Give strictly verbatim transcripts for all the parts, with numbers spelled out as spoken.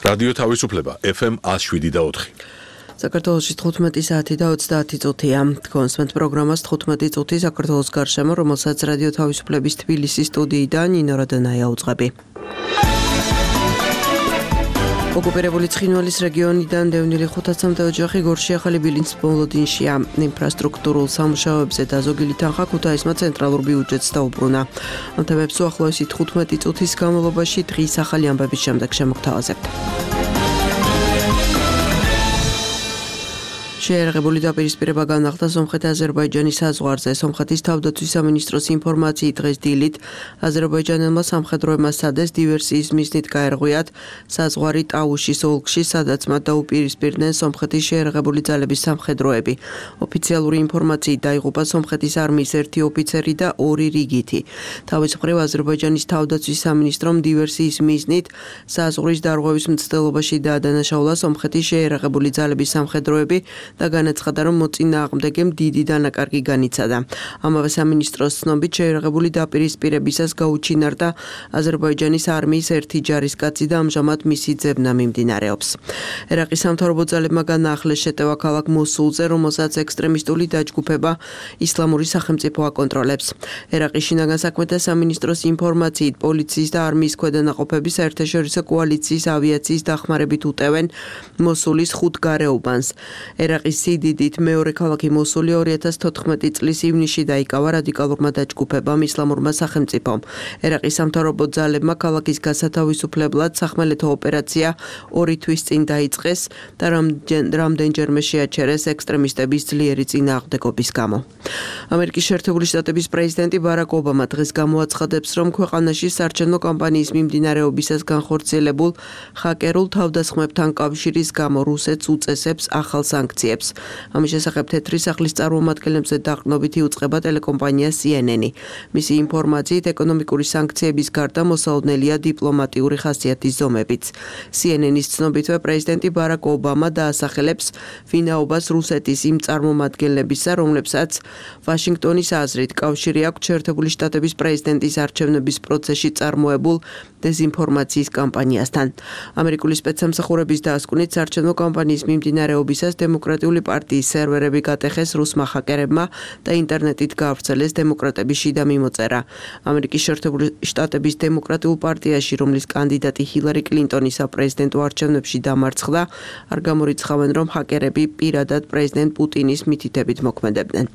რადიო თავისუფლება ეფ ემ one oh seven და four. საქართველოში თხუთმეტი საათი და ოცდაათი წუთია. კონსვენტ პროგრამას თხუთმეტი წუთი საქართველოს გარშემო, რომელსაც რადიო თავისუფლების თბილისის სტუდიიდან ნინო რადონაია უძღვები. ოკუპირებული ცხინვალის რეგიონიდან დევნილი ხუთასამდე ოჯახი გორში ახალი ბილინს მოლოდინშია. ინფრასტრუქტურულ სამუშაოებზე დაზოგილი თანხა ქუთაისმა ცენტრალურ ბიუჯეტს დაუბრუნა. ამ თემებს უახლოესი თხუთმეტი წუთის განმავლობაში დღის ახალი ამბების შემდეგ შემოგთავაზებთ. შეერაღებული დაპირისპირება განახლდა სომხეთ-აზერბაიჯანის საზღვარზე. სომხეთის თავდაცვის სამინისტროს ინფორმაციით დღეს დილით აზერბაიჯანელმა სამხედროებმა სადეს დივერსიის მიზნით გაერღვიათ საზღვარი ტაუშის ოლქში, სადაც მათ დაუპირისპირდნენ სომხეთის შეერაღებული ძალების სამხედროები. ოფიციალური ინფორმაციით დაიღუპა სომხეთის არმიის ერთი ოფიცერი და ორი რიგითი. თავის მხრივ აზერბაიჯანის თავდაცვის სამინისტრომ დივერსიის მიზნით საზღვრის დარღვევის მცდელობაში დაადანაშაულა სომხეთის შეერაღებული ძალების სამხედროები და განაცხადა, რომ მოწინააღმდეგემ დიდი დანაკარგი განიცადა. ამავე სამინისტროს ცნობით შეერაღებული დაპირისპირებისას გაუჩინარდა აზერბაიჯანის არმიის ერთი ჯარისკაცი და ამჟამად მისი ძებნა მიმდინარეობს. ერაყის სამთავრობო ძალებმა განაახლეს შეტევა ქალაქ მოსულზე, რომელსაც ექსტრემისტული დაჯგუფება ისლამური სახელმწიფო აკონტროლებს. ერაყის შინაგან საქმეთა სამინისტროს ინფორმაციით პოლიციის და არმიის ქვედანაყოფები საერთაშორისო კოალიციის ავიაციის დახმარებით უტევენ მოსულის ხუთ გარეუბანს. ერაყის სიდიდით მეორე ქალაქი მოსული ორი ათას თოთხმეტი წლის ივნისში დაიკავა რადიკალურმა დაჯგუფებამ ისლამურმა სახელმწიფომ. ერაყის სამთავრობო ძალებმა ქალაქის გასათავისუფლებლად სახმელეთო ოპერაცია ორი თვის წინ დაიწყეს და რამდენჯერმე შეაჩერეს ექსტრემისტების ძლიერი წინააღმდეგობის გამო. ამერიკის შეერთებული შტატების პრეზიდენტი ბარაკ ობამა დღეს გამოაცხადებს, რომ ქვეყანაში საარჩევნო კამპანიის მიმდინარეობისას განხორციელებულ ჰაკერულ თავდასხმებთან კავშირის გამო რუსეთს უწესებს ახალ სანქციებს. ამის შესახებ თეთრი სახლის წარმომადგენლებზე დაყრდნობით იუწყება ტელეკომპანია C N N. მისი ინფორმაციით ეკონომიკური სანქციების გარდა მოსალოდნელია დიპლომატიური ხასიათის ზომებიც. C N N-ის ცნობითვე პრეზიდენტი ბარაკ ობამა დაასახელებს ვინაობას რუსეთის იმ წარმომადგენლებისა, რომლებსაც ვაშინგტონის აზრით კავშირი აქვს შეერთებული შტატების პრეზიდენტის არჩევნების პროცესში წარმოებულ დეზინფორმაციის კამპანიასთან. ამერიკული სპეცსამსახურების დასკვნით საარჩევნო კამპანიის მიმდინარეობისას დემოკრატიული პარტიის სერვერები გატეხეს რუსმა ჰაკერებმა და ინტერნეტით გაავრცელეს დემოკრატების შიდა მიმოწერა. ამერიკის შეერთებული შტატების დემოკრატიულ პარტიაში, რომლის კანდიდატი ჰილარი კლინტონი საპრეზიდენტო არჩევნებში დამარცხდა, არ გამორიცხავენ, რომ ჰაკერები პირადად პრეზიდენტ პუტინის მითითებით მოქმედებდნენ.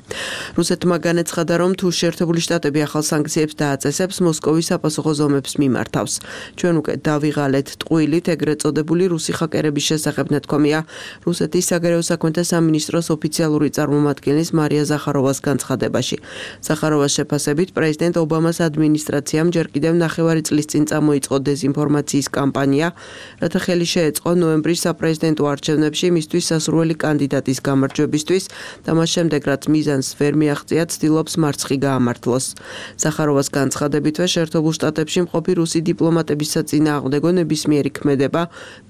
რუსეთმა განაცხადა, რომ თუ შეერთებული შტატები ახალ სანქციებს დააწესებს, მოსკოვის საპასუხო ზომებს მიმართავს. ჩვენ უკვე დავიღალეთ ტყუილით ეგრეთ წოდებული რუსი ჰაკერების შესახებ ნათქვამია რუსეთის საგარეო საქმეთა სამინისტროს ოფიციალური წარმომადგენლის მარია ზახაროვას განცხადებაში. ზახაროვას შეფასებით პრეზიდენტ ობამას ადმინისტრაციამ ჯერ კიდევ ნახევარი წლის წინ წამოიწყო დეზინფორმაციის კამპანია, რათა ხელი შეეწყო ნოემბრის საპრეზიდენტო არჩევნებში მისთვის სასურველი კანდიდატის გამარჯვებისთვის და მას შემდეგ, რაც მიზანს ვერ მიაღწია, ცდილობს მარცხი გაამართლოს. ზახაროვას განცხადებითვე შეერთებულ შტატებში მყოფი რუსი დიპლომატების საწინააღმდეგო ნებისმიერი ქმედება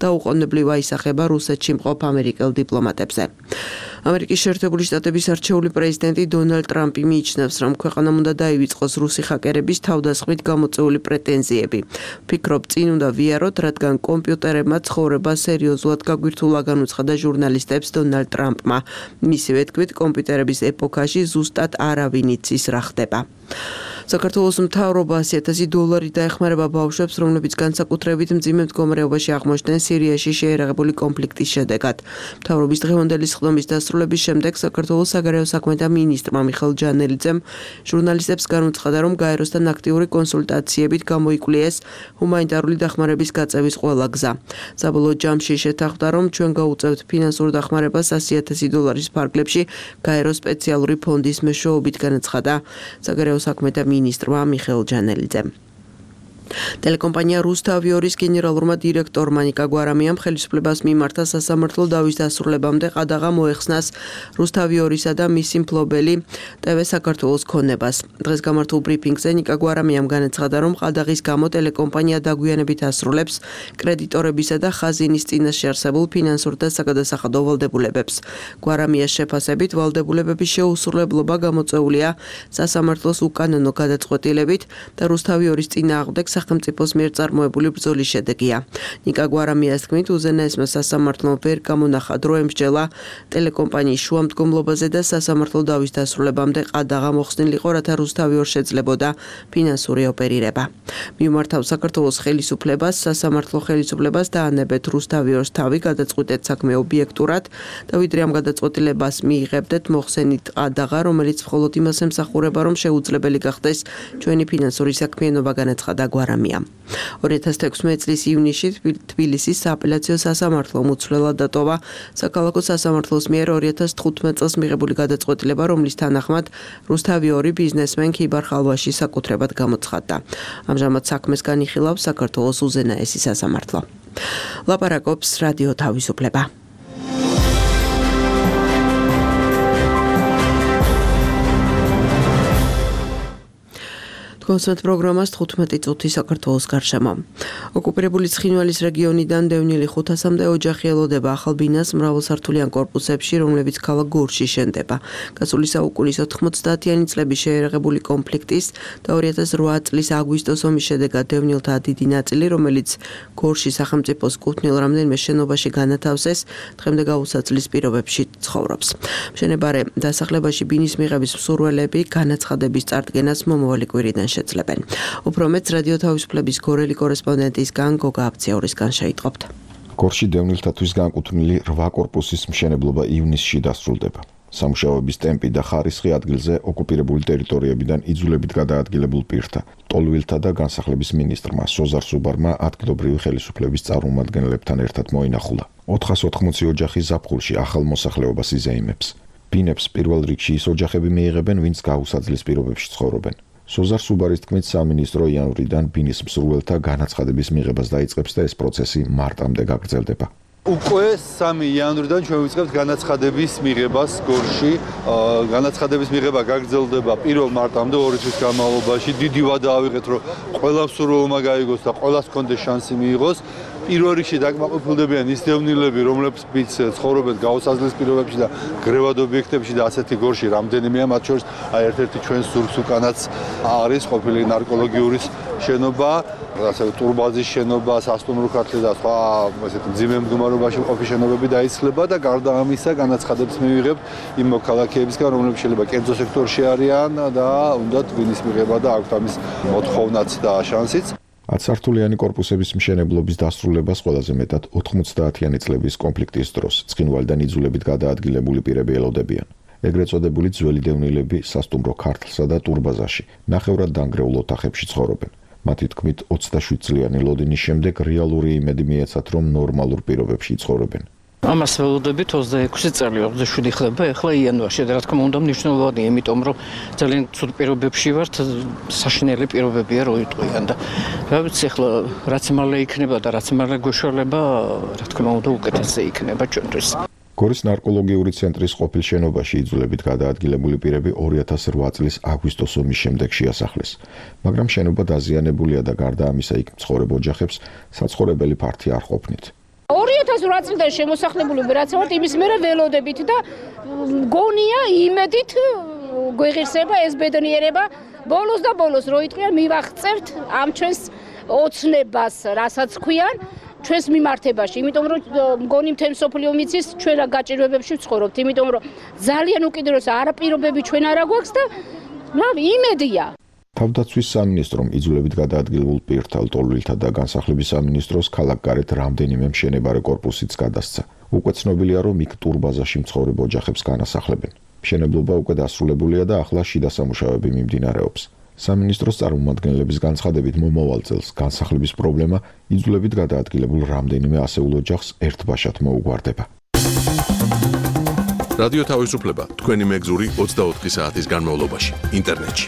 დაუყოვნებლივ აისახება რუსეთში მყოფ ამერიკელ დიპლომატებზე. ამერიკის შეერთებული შტატების არჩეული პრეზიდენტი დონალდ ტრამპი მიიჩნევს, რომ ქვეყანამ უნდა დაივიწყოს რუსი ჰაკერების თავდასხმით გამოწვეული პრეტენზიები. ფიქრობ, წინ უნდა ვიაროთ, რადგან კომპიუტერებმა ცხოვრება სერიოზულად გაგვირთულა განუცხადა ჟურნალისტებს დონალდ ტრამპმა. მისივე თქმით, კომპიუტერების ეპოქაში ზუსტად არავინ იცის რა ხდება. საქართველოს მთავრობა ასი ათასი დოლარი დაეხმარება ბავშვებს, რომლებიც განსაკუთრებით მძიმე მდგომარეობაში აღმოჩნდნენ სირიაში შეერაღებული კონფლიქტის შედეგად. მთავრობის დღევანდელი სხდომის დასრულების შემდეგ საქართველოს საგარეო საქმეთა მინისტრმა მიხეილ ჯანელიძემ ჟურნალისტებს განუცხადა, რომ გაეროსთან აქტიური კონსულტაციებით გამოიკვლიეს ჰუმანიტარული დახმარების გაწევის ყველა გზა. საბოლოო ჯამში შეთანხმდა, რომ ჩვენ გაუწევთ ფინანსურ დახმარებას ასი ათასი დოლარის ფარგლებში გაეროს სპეციალური ფონდის მეშვეობით, განაცხადა საგარეო საქმეთა მინისტრმა მიხეილ ჯანელიძემ. ტელეკომპანია რუსთავიორის გენერალურმა დირექტორმა ნიკა გვარამიამ ხელისუფლებას მიმართა სასამართლო დავის დასრულებამდე ყადაღა მოეხსნას რუსთავიორისა და მისი მფლობელი ტევ საქართველოს ქონებას. დღეს გამართულ ბრიფინგზე ნიკა გვარამიამ განაცხადა, რომ ყადაღის გამო ტელეკომპანია დაგვიანებით ასრულებს კრედიტორებისა და ხაზინის წინაშე არსებულ ფინანსურ და საგადასახადო ვალდებულებებს. გვარამიას შეფასებით ვალდებულებების შეუსრულებლობა გამოწვეულია სასამართლოს უკანონო გადაწყვეტილებით და რუსთავიორის წინააღმდეგ სახელმწიფოს მიერ წარმოებული ბრძოლის შედეგია. ნიკა გვარამიას თქმით, უზენაესმა სასამართლომ ვერ გამონახა დრო ემსჯელა ტელეკომპანიის შუამდგომლობაზე და სასამართლო დავის დასრულებამდე ყადაღა მოხსნილიყო, რათა რუსთავი ორ შეძლებოდა ფინანსური ოპერირება. მიუმართავ საქართველოს ხელისუფლებას, სასამართლო ხელისუფლებას დაანებეთ რუსთავი ორს თავი გადაწყვეტეთ საქმე ობიექტურად და ვიდრე ამ გადაწყვეტილებას მიიღებდეთ მოხსენით ყადაღა, რომელიც მხოლოდ იმას ემსახურება, რომ შეუძლებელი გახდეს ჩვენი ფინანსური საქმიანობა, განაცხადა გვარამიამ. ორი ათას თექვსმეტი წლის ივნისში თბილისის სააპელაციო სასამართლომ უცვლელად დატოვა საქალაქო სასამართლოს მიერ ორი ათას თხუთმეტ წელს მიღებული გადაწყვეტილება, რომლის თანახმად რუსთავი ორი ბიზნესმენ ქიბარ ხალვაში საკუთრებად გამოცხადდა. ამჟამად საქმეს განიხილავს საქართველოს უზენაესი სასამართლო. ლაპარაკობს რადიო თავისუფლება. კონსერტ პროგრამას თხუთმეტი წუთი საქართველოს გარშემო. ოკუპირებული ცხინვალის რეგიონიდან დევნილი ხუთასამდე ოჯახი ელოდება ახალ ბინას მრავალსართულიან კორპუსებში, რომლებიც ქალაქ გორში შენდება. გასული საუკუნის ოთხმოცდაათიანი წლების შეერაღებული კონფლიქტის და ორი ათას რვა წლის აგვისტოს ომის შედეგად დევნილთა დიდი ნაწილი, რომელიც გორში სახელმწიფოს კუთვნილ რამდენიმე შენობაში განათავსეს, დღემდე გაუსაცლის პირობებში ცხოვრობს. მშენებარე დასახლებაში ბინის მიღების მსურველები განაცხადების წარდგენას მომავალი კვირიდან შეძლებენ. უფრო მეც რადიო თავისუფლების გორელი კორესპონდენტისგან გოგა აბციაურისგან შეიტყობთ. გორში დევნილთათვის განკუთვნილი რვა კორპუსის მშენებლობა ივნისში დასრულდება. სამუშაოების ტემპი და ხარისხი ადგილზე ოკუპირებული ტერიტორიებიდან იძულებით გადაადგილებულ პირთა, ტოლვილთა და განსახლების მინისტრმა სოზარ სუბარმა ადგილობრივი ხელისუფლების წარმომადგენლებთან ერთად მოინახულა. ოთხას ოთხმოცი ოჯახი ზაფხულში ახალ მოსახლეობას იზეიმებს. ბინებს პირველ რიგში ის ოჯახები მიიღებენ, ვინც გაუსაძლის პირობებში ცხოვრობენ. სოზარ სუბარის თქმით, სამინისტრო იანვრიდან ბინის მსურველთა განაცხადების მიღებას დაიწყებს და ეს პროცესი მარტამდე გაგრძელდება. უკვე სამი იანვრიდან ჩვენ ვიწყებთ განაცხადების მიღებას გორში. განაცხადების მიღება გაგრძელდება პირველ მარტამდე ორი თვის განმავლობაში. დიდი ვადა ავიღეთ, რომ ყველა მსურველმა გაიგოს და ყველას კონდეს შანსი მიიღოს. პირველ რიგში დაკმაყოფილდებიან ის დევნილები, რომლებიც ცხოვრობენ გაუსაძლის პირობებში და გრევად ობიექტებში და ასეთი გორში რამდენიმეა, მათ შორის აი ერთ-ერთი ჩვენს ზურგს უკანაც არის ყოფილი ნარკოლოგიური შენობა, ასევე ტურბაზის შენობა, სასტუმრო ქართლი და სხვა ესეთი მძიმე მდგომარეობაში მყოფი შენობები დაისხლება და გარდა ამისა განაცხადებს მივიღებთ იმ მოქალაქეებისგან, რომლებიც შეიძლება კერძო სექტორში არიან და უნდათ ბინის მიღება და აქვთ ამის მოთხოვნაც და შანსიც. ათსართულიანი კორპუსების მშენებლობის დასრულებას ყველაზე მეტად ოთხმოცდაათიანი წლების კონფლიქტის დროს ცხინვალიდან იძულებით გადაადგილებული პირები ელოდებიან. ეგრეთ წოდებული ძველი დევნილები სასტუმრო ქართლსა და ტურბაზაში ნახევრად დანგრეულ ოთახებში ცხოვრობენ. მათი თქმით, ოცდაშვიდ წლიანი ლოდინის შემდეგ რეალური იმედი მიეცათ, რომ ნორმალურ პირობებში ცხოვრობენ. ამას ველოდებით ოცდაექვსი წელი ოცდაშვიდი ხდება ახლა იანვარში და რა თქმა უნდა მნიშვნელოვანია, იმიტომ რომ ძალიან ცუდ პირობებში ვართ, საშინელი პირობებია რო იტყვიან და რა ვიცი ახლა რაც მალე იქნება და რაც მალე გვეშალება, რა თქმა უნდა უკეთესზე იქნება ჩვენთვის. გორის ნარკოლოგიური ცენტრის ყოფილ შენობაში იძულებით გადაადგილებული პირები ორი ათას რვა წლის აგვისტოს ომის შემდეგ შეასახლეს, მაგრამ შენობა დაზიანებულია და გარდა ამისა იქ მცხოვრებ ოჯახებს საცხოვრებელი ფართი არ ყოფნით. ორი ათას რვა წლიდან შემოსახლებულები რაც ვართ იმის მერე ველოდებით და გონია იმედით გვეღირსება ეს ბედნიერება ბოლოს და ბოლოს რო იტყვიან მივახცევთ ამ ჩვენს ოცნებას, რასაც ქვიან ჩვენს მიმართებაში, იმიტომ რომ მგონი მთელი მსოფლიო მიცის ჩვენ რა გაჭირვებებში ვცხოვრობთ, იმიტომ რომ ძალიან უკიდურეს არაპირობები ჩვენ არა გვაქვს და რავი იმედია. თავდაცვის სამინისტრომ იძულებით გადაადგილებულ პირთა, ტოლვილთა და განსახლების სამინისტროს ქალაქგარეთ რამდენიმე მშენებარე კორპუსიც გადასცა. უკვე ცნობილია, რომ იქ ტურბაზაში მცხოვრებ ოჯახებს განასახლებენ. მშენებლობა უკვე დასრულებულია და ახლა შიდა სამუშაოები მიმდინარეობს. სამინისტროს წარმომადგენლების განცხადებით მომავალ წელს განსახლების პრობლემა იძულებით გადაადგილებულ რამდენიმე ასეულ ოჯახს ერთბაშად მოუგვარდება. რადიო თავისუფლება თქვენი მეგზური ოცდაოთხი საათის განმავლობაში ინტერნეტში.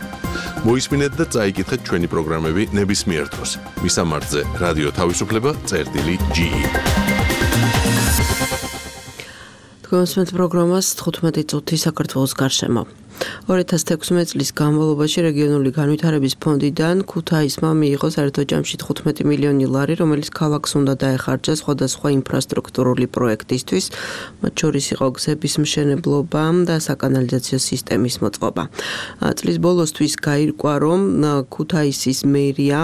მოისმინეთ და წაიკითხეთ ჩვენი პროგრამები ნებისმიერ დროს. მისამართზე რადიო თავისუფლება წერტილი ჯი. თქვენს პროგრამას თხუთმეტი წუთი საქართველოს გარშემო. ორი ათას თექვსმეტ წლის განმავლობაში რეგიონული განვითარების ფონდიდან ქუთაისმა მიიღო საერთო ჯამში თხუთმეტი მილიონი ლარი, რომელიც ქალაქს უნდა დაეხარჯა სხვადასხვა ინფრასტრუქტურული პროექტისთვის, მათ შორის იყო გზების მშენებლობა და საკანალიზაციო სისტემის მოწყობა. წლის ბოლოსთვის გაირკვა, რომ ქუთაისის მერია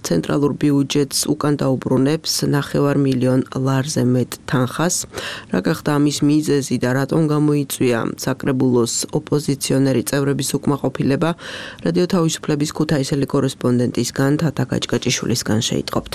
ცენტრალურ ბიუჯეტს უკან დაუბრუნებს ნახევარ მილიონ ლარზე მეტ თანხას. რა გახდა ამის მიზეზი და რატომ გამოიწვია საკრებულოს ოპოზიციონერი წევრების უკმაყოფილება, რადიო თავისუფლების ქუთაისელი კორესპონდენტისგან თათა გაჭკაჭიშვილისგან შეიტყობთ.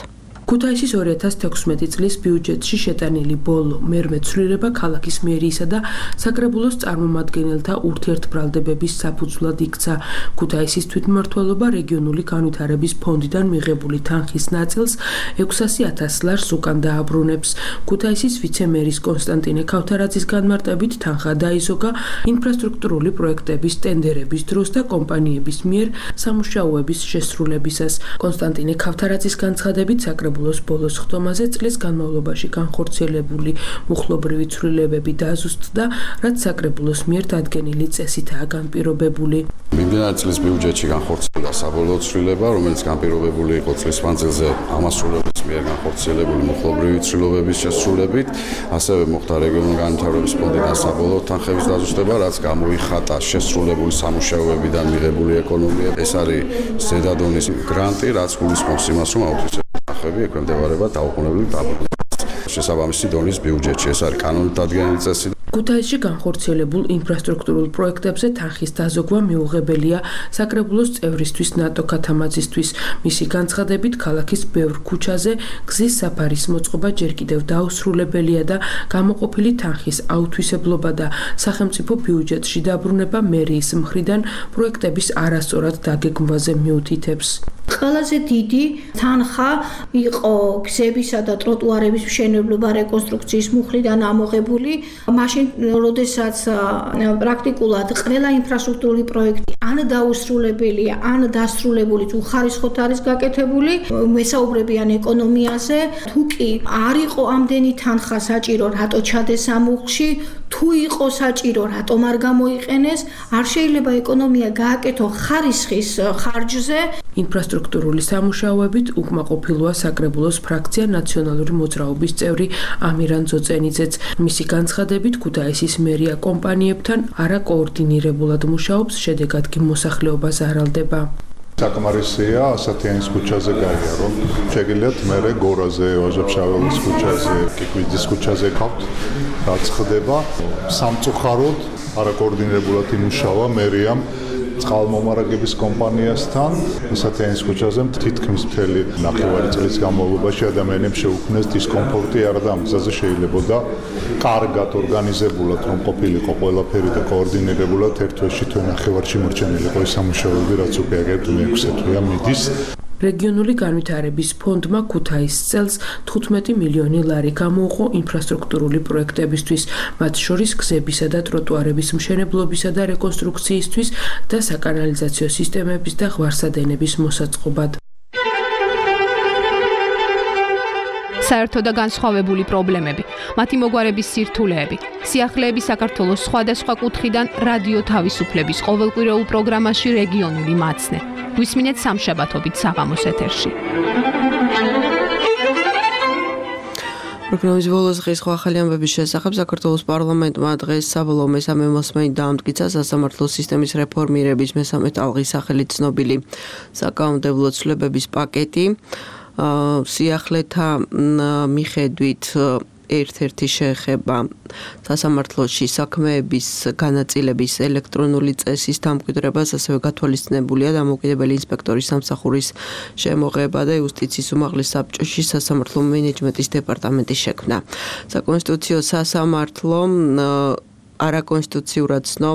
ქუთაისის ორი ათას თექვსმეტი წლის ბიუჯეტში შეტანილი ბოლო მერმე ცვლილება ქალაქის მერიისა და საკრებულოს წარმომადგენელთა ურთიერთბრალდებების საფუძვლად იქცა. ქუთაისის თვითმმართველობა რეგიონული განვითარების ფონდიდან მიღებული თანხის ნაწილს ექვსასი ათას ლარს უკან დააბრუნებს. ქუთაისის ვიცემერის კონსტანტინე ქავთარაძის განმარტებით თანხა დაიზოგა ინფრასტრუქტურული პროექტების ტენდერების დროს და კომპანიების მიერ სამუშაოების შესრულებისას. კონსტანტინე ქავთარაძის განცხადებით საკრებულოს ბოლოს ხდომაზე წლის განმავლობაში განხორციელებული მუხლობრივი ცვლილებები დაზუსტდა, რაც საკრებულოს მიერ დადგენილი წესითაა განპირობებული. მიმდინარე წლის ბიუჯეტში განხორციელდა საბოლოო ცვლილება, რომელიც განპირობებული იყო წლის მანძილზე ამასრულების მიერ განხორციელებული მუხლობრივი ცვლილებების შესრულებით, ასევე მოხდა რეგიონული განვითარების ფონდიდან საბოლოო თანხების დაზუსტება, რაც გამოიხატა შესრულებული სამუშაოებიდან მიღებული ეკონომია. ეს არის ზედადონის გრანტი, რაც გულისხმობს იმას, რომ აუთვისებს ხები ექვემდებარება დაუყოვნებლივ დაბრუნებას შესაბამისი დონის ბიუჯეტში. ეს არის კანონით დადგენილი წესი. ქუთაისში განხორციელებულ ინფრასტრუქტურულ პროექტებზე თანხის დაზოგვა მიუღებელია საკრებულოს წევრისთვის ნატო ქათამაძისთვის. მისი განცხადებით, ქალაქის ბევრ ქუჩაზე გზის საფარის მოწყობა ჯერ კიდევ დაუსრულებელია და გამოყოფილი თანხის აუთვისებლობა და სახელმწიფო ბიუჯეტში დაბრუნება მერიის მხრიდან პროექტების არასწორად დაგეგმვაზე მიუთითებს. ყველაზე დიდი თანხა იყო გზებისა და ტროტუარების მშენებლობა რეკონსტრუქციის მუხლიდან ამოღებული. მაშინ, როდესაც პრაქტიკულად ყველა ინფრასტრუქტურული პროექტი ან დაუსრულებელია, ან დასრულებული თუ ხარისხოთ არის გაკეთებული, მესაუბრებიან ეკონომიაზე. თუ კი არ იყო ამდენი თანხა საჭირო, რატო ჩადეს ამ მუხლში, თუ იყო საჭირო, რატომ არ გამოიყენეს, არ შეიძლება ეკონომია გააკეთო ხარისხის ხარჯზე. ინფრასტრუქტურული სამუშაოებით უკმაყოფილოა საკრებულოს ფრაქცია ნაციონალური მოძრაობის წევრი ამირან ძოწენიძეც. მისი განცხადებით, ქუთაისის მერია კომპანიებთან არაკოორდინირებულად მუშაობს, შედეგად კი მოსახლეობა ზარალდება. საკმარისია ასათიანის ქუჩაზე გაია, რომ შეგიძლიათ მერე გორაზე, ვაჟა-ფშაველის ქუჩაზე, კიკვიძის ქუჩაზე გავთ, რაც ხდება. სამწუხაროდ არაკოორდინირებულად იმუშავა მერიამ წყალმომარაგების კომპანიასთან. ასათიანის ქუჩაზე თითქმის მთელი ნახევარი წლის განმავლობაში ადამიანებს შეუქმნეს დისკომფორტი, არა და ამ გზაზე შეიძლებოდა კარგად ორგანიზებულად რომ ყოფილიყო ყველაფერი და კოორდინირებულად ერთ თვეში თუ ნახევარში მორჩენილიყო ის სამუშაოები, რაც უკვე აგერ მეექვსე თვეა მიდის. რეგიონული განვითარების ფონდმა ქუთაისს წელს თხუთმეტი მილიონი ლარი გამოუყო ინფრასტრუქტურული პროექტებისთვის, მათ შორის გზებისა და ტროტუარების მშენებლობისა და რეკონსტრუქციისთვის და საკანალიზაციო სისტემების და ღვარსადენების მოსაწყობად. საერთო და განსხვავებული პრობლემები, მათი მოგვარების სირთულეები, სიახლეები საქართველოს სხვადასხვა კუთხიდან რადიო თავისუფლების ყოველკვირეულ პროგრამაში რეგიონული მაცნე. გვისმინეთ სამშაბათობით საღამოს ეთერში. პროგრამის ბოლოს დღის ახალი ამბების შესახებ საქართველოს პარლამენტმა დღეს საბოლოო მესამე მოსმენით დაამტკიცა სასამართლო სისტემის რეფორმირების მესამე ტალღის სახელით ცნობილი საკანონმდებლო ცვლილებების პაკეტი. სიახლეთა მიხედვით ერთ-ერთი შეეხება სასამართლოში საქმეების განაწილების ელექტრონული წესის დამკვიდრებას, ასევე გათვალისწინებულია დამოუკიდებელი ინსპექტორის სამსახურის შემოღება და იუსტიციის უმაღლეს საბჭოში სასამართლო მენეჯმენტის დეპარტამენტის შექმნა. საკონსტიტუციო სასამართლო არაკონსტიტუციურად ცნო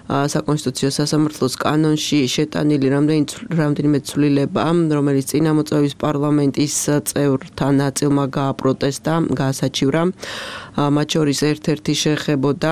საკონსტიტუციო სასამართლოს კანონში შეტანილი რამდენიმე ცვლილება, რომელიც წინამოწვევის პარლამენტის წევრთა ნაწილმა გააპროტესტა, გაასაჩივრა. მათ შორის ერთ-ერთი შეეხებოდა